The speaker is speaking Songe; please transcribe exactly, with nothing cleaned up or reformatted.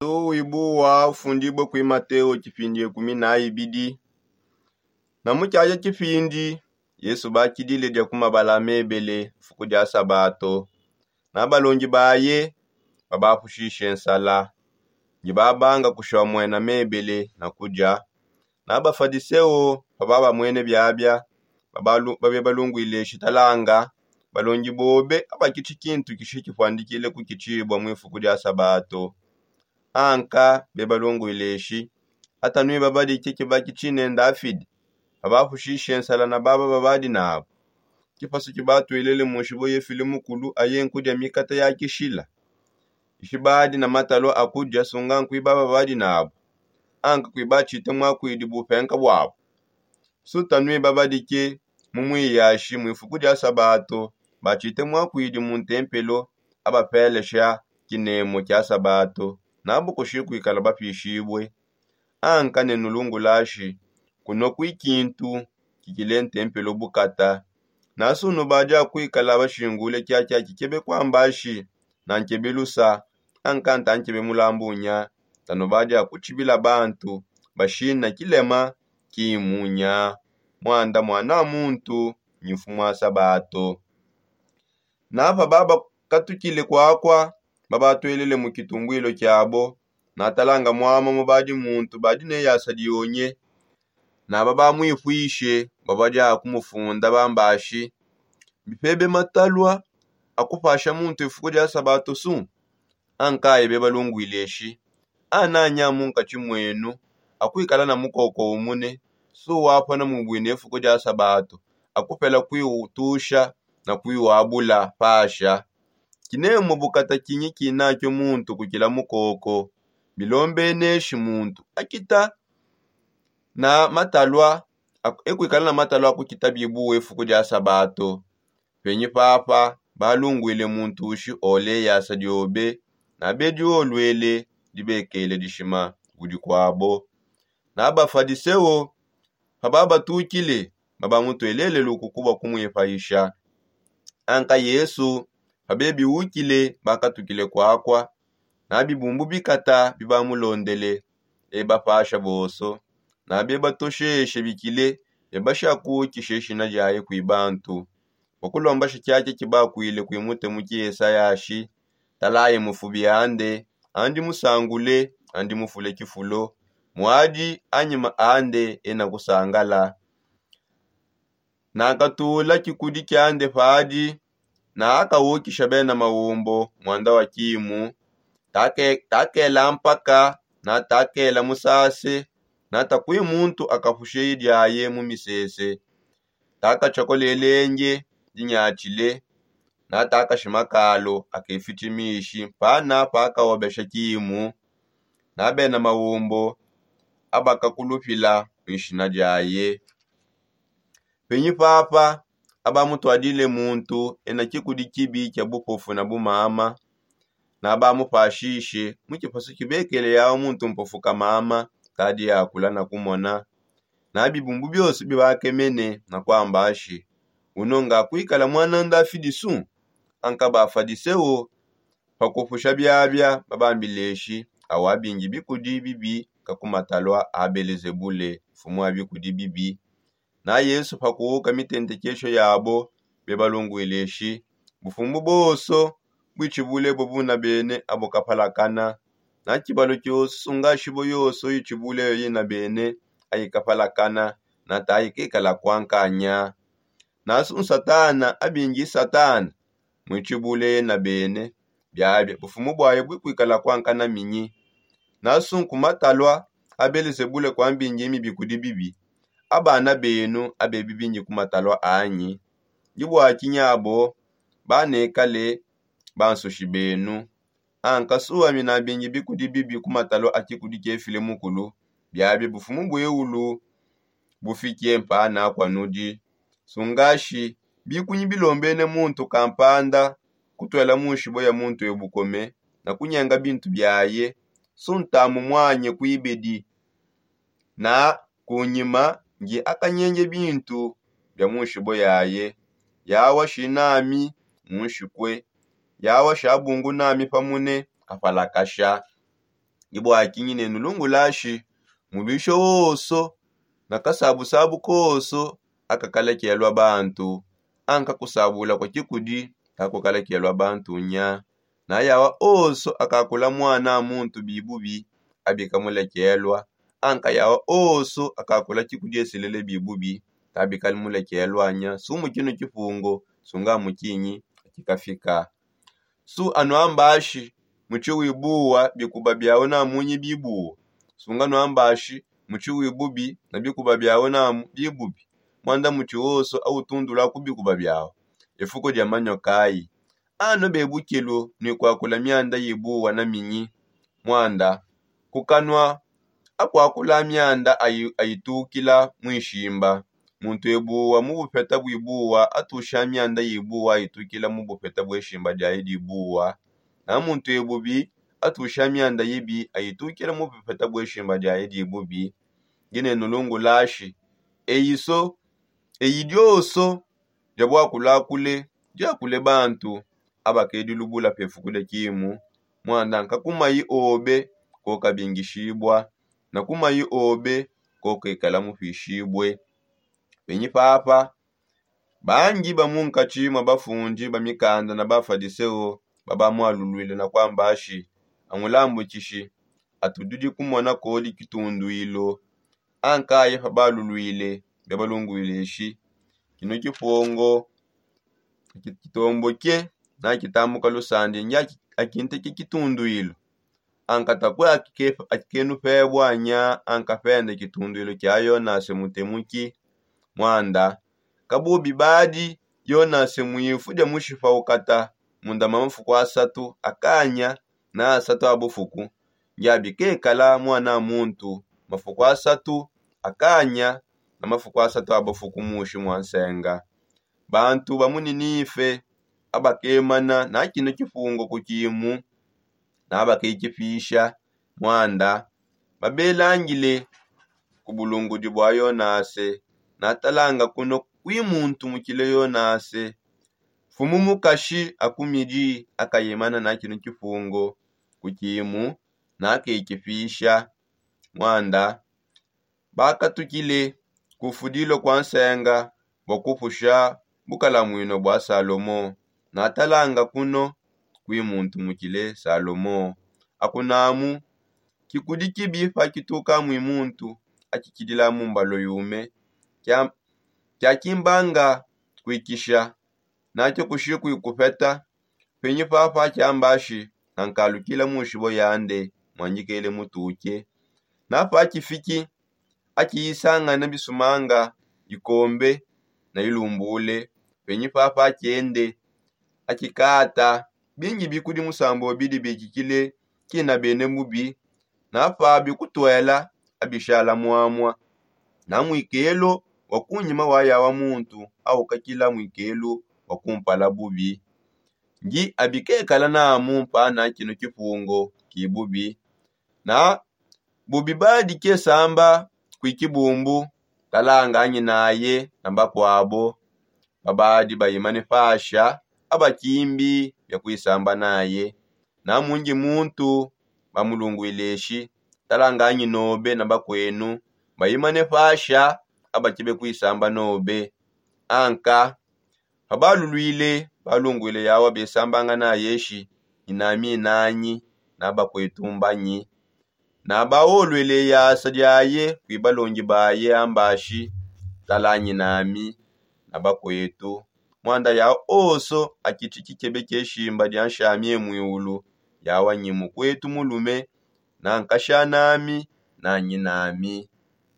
Wibuwa ufundibue kui mateo tshipindi ekumi na ibidi. Na mu tshiaja tshipindi yesu bakidile dia ku mabala mebele mfuku dia sabato. Na balongi baye babapushishe nsala ndi babanga kushiwa muena mebele na kudia. Na bafadiseo paba bamuene biabia babe balunguileshi talanga balongi bobe abakitshi kintu kishi kipuandikile kukitshibua mu ifuku dia sabato. Anka be balunguileshi atanui babadike kibaki tshine ndafidi. Babapushishe nsala na baba babadi nabu. Kipasu kibatuelele mu nshibo yefile mukulu aye nkudia mikata ya kishila. Ishibadi na matalua a kudia sunga nkui baba babadi nabu. Anka kuiba tshite muakuidi bupenka buabu. Sutanui babadike mu muiyashi mu ifuku dia sabato. Batshite muakuidi mu ntempelo abapelesha kinemo kia sabato. Nabu kushi kuikala bapishibue. Anka ne nulungulashi kunua kui kintu kikile ntempelo bukata. Nasu nubadi akuikala bashingule kiakia kikebe kuambashi na nkebe lusa. Anka nta nkebe mulambunya tanubadi akutshibila bantu bashina kilema kimunya. Muanda muana muntu nyi mfumu a sabato. Napa babakatukile kuakua babatuelele mu kitumbwilo kiabo. Natalanga muama mubadi muntu badi ne yasa dionye. Naba bamuipuishe babadi akumufunda bambashi mbipebe matalua akupasha muntu ifuku dia sabato su. Ankaye be balunguileshi ananya munkatshi muenu akuikala na mukoko umune su wapona mubuine ifuku dia sabato akupela kuiutusha na kuiwabula pasha. Kinemu bukata kinyi kinakio muntu kukila mukoko. Bilombeneshi muntu akita na matalua ekuikala na matalua akukita bibuwe ifuku dia sabato. Penyi papa balungwile muntu ushi ole yasa diobe na bedi olwele dibekele dishima kudi kuabo. Na bafadiseo pababatukile babamutwelele lukuku bua kumwipayisha. Anka yesu pabebiwukile bakatukile kuakua. Na bibumbu bikata bibamulondele bebapasha bonso. Na bebatosheshe bikile bebashakuukishe ishina diaye kui bantu. Bua kulombasha tshiakia kibakuile kui mutemu ki esayashi. Talaye mufubi ande andi musangule andi mufule kifulo. Muadi anyima ande ena kusangala. Nakatula kikudi kiande padi na akawukisha bena maumbo muanda wa kimu. Takela mpaka na takela musase. Na takui muntu akapushe diaye mu misese. Takatshia kolelenge dinyatshile. Na takashima kalo akefitshi mishi mpana pakawobesha kimu. Na bena maumbo abakakulupila mu ishina diaye. Penyi papa abamutwadile muntu ena kikudi kibi kia bupofu na bumama. Na bamupashishe mu kipasu kibekele yawa muntu mpofu kamama kadi yakula na kumona. Na bibumbu bionso bibakemene na kuambashi uno ngakuikala muana ndafidi su. Anka bafadiseo pakupusha biabia babambileshi awa abingi bikudi bibi kakumatalua a belezebule mfumu wa bikudi bibi. Na yesu pakuwuka mitentekesho yabo bebalungwile shi bufumbu bonso buitshibule bubuna bene abo kapalakana. Na tshibalo kiosu ngashibo yonso itshibule yo yina bene aikapalakana. Na taikekala kuankanya. Nasu nsatana abingi satana muitshibule yena bene. Biabi bufumu buaye buikuikala kuankana minyi? Nasu nkumatalua a belezebule kuambingi mibi kudi bibi. Abana benu abebi bingi kumatalua anyi? Ndi buakinyabo banekale bansushi benu. Anka suami nabingi bikudi bibi kumatalua a kikudi kiefile mukulu. Biabi bufumu bueulu bufike mpana kua nudi. Sungashi bikunyi bilombene muntu kampanda kutuela mu nshibo ya muntu ebukome na kunyenga bintu biaye. Suntamu muanye kuibedi na kunyima ndi akanyenge bintu bia mu nshibo yaye. Yawa shinami mu nshikue. Yawa shabungunami pamune apalakasha. Ndi bua kinyi ne nulungulashi mubisho woso na kasabusabu koso akakalekelwa bantu, anka kusabula kua kikudi kakukalekelwa bantu nya. Na yawa oso akakula muana muntu bibubi abikamulekelwa, anka yawa oso akakula kikudi eselele bibubi kabikali mulekelwa nya. Sumu kino kipungo sunga mukinyi akikafika. Su anu ambashi mutshi wibuwa bikuba biawu na munyi bibuwa. Sunga anu ambashi mutshi wibubi na bikuba biawu na bibubi. Muanda mutshi woso awutundula ku bikuba biawu. Efuku dia manyokayi anu bebukilu ni kwakula mianda yibuwa na minyi. Muanda kukanua akwakula mianda ayitukila mwishimba. Muntu ebuwa mu bupeta bwibuwa atusha mianda yibuwa ayitukila mu bupeta bweshimba diaye dibuwa. Na muntu ebubi atusha mianda yibi ayitukila mu bupeta bweshimba diaye dibubi. Ngine nulungulashi eyiso eyi dioso dia bwakulakule diakule bantu abakedi lubula pefuku dia kimu. Muanda nkakumayi obe kokabingishibua na kumayi obe kokekala mupishibue. Penyi papa bangi ba munkatshi mua bafundi ba mikanda na bafadiseo babamualuluile na kuambashi amulambukishi atududi kumona kodi kitunduilu. Ankaye pabaluluile bia balunguileshi kino kipongo kitomboke na kitambuka lusandi ngi akinteke kitunduilu. Anka takue akikenu pebua nya anka pende kitunduilu kia yonase mutemuki. Muanda kabubi badi yonase muifu dia mushipa ukata munda ma mafuku asatu akanya na asatu a bufuku. Ngiabi kekala muana muntu mafuku asatu akanya na mafuku asatu a bufuku mushi mua nsenga. Bantu ba mu ninife abakemana na kino kipungo ku kimu na abakekipisha muanda babelangile ku bulungudi bua yonase. Natalanga kuno kuimuntumukile yonase mfumu mukashi akumidi akayemana na kino kipungo ku kimu na akekipisha muanda bakatukile kufudilo kua nsenga bua kupusha bukalamuino bua salomo. Natalanga kuno kuimuntumukile salomo. Akunamu kikudi kibi pakituka mui muntu akikidila mu mbalo yume kia kimbanga kuikisha nakio kushi kuikupeta. Penyi papa kiambashi nankalukila mushibo yande muangikele mutuke. Napa kifiki akiyisangana bisumanga ikombe na ilumbule. Penyi papa kiende akikata bingi bikudi musambo bidi bikikile kina bene mubi. Napa bikutuela abishala muamua na muikelo wa kunyima wa yawa muntu aukakila muikelo wa kumpala bubi. Ngi abikekala namu mpana kino kipungo kibubi na bubi badi kesamba kui kibumbu. Talanga nyinaye na bakuabo babadi bayimane pasha abakimbi bia kuisamba naye. Na mungi muntu bamulunguileshi talanganyi nobe na bakuenu bayimane pasha abakebe kuisamba nobe. Anka pabaluluile balunguile yawa besambanga nayeshi nyinami nanyi na bakuetu mbanyi. Na baoluele yasa diaye kui balongi baye ambashi talanyi nami na bakuetu. Muanda yawa oso akitshi kikebe kieshimba dia nshami emuiulu yawa nyi mukuetu mulume na nkasha nami na nyinami.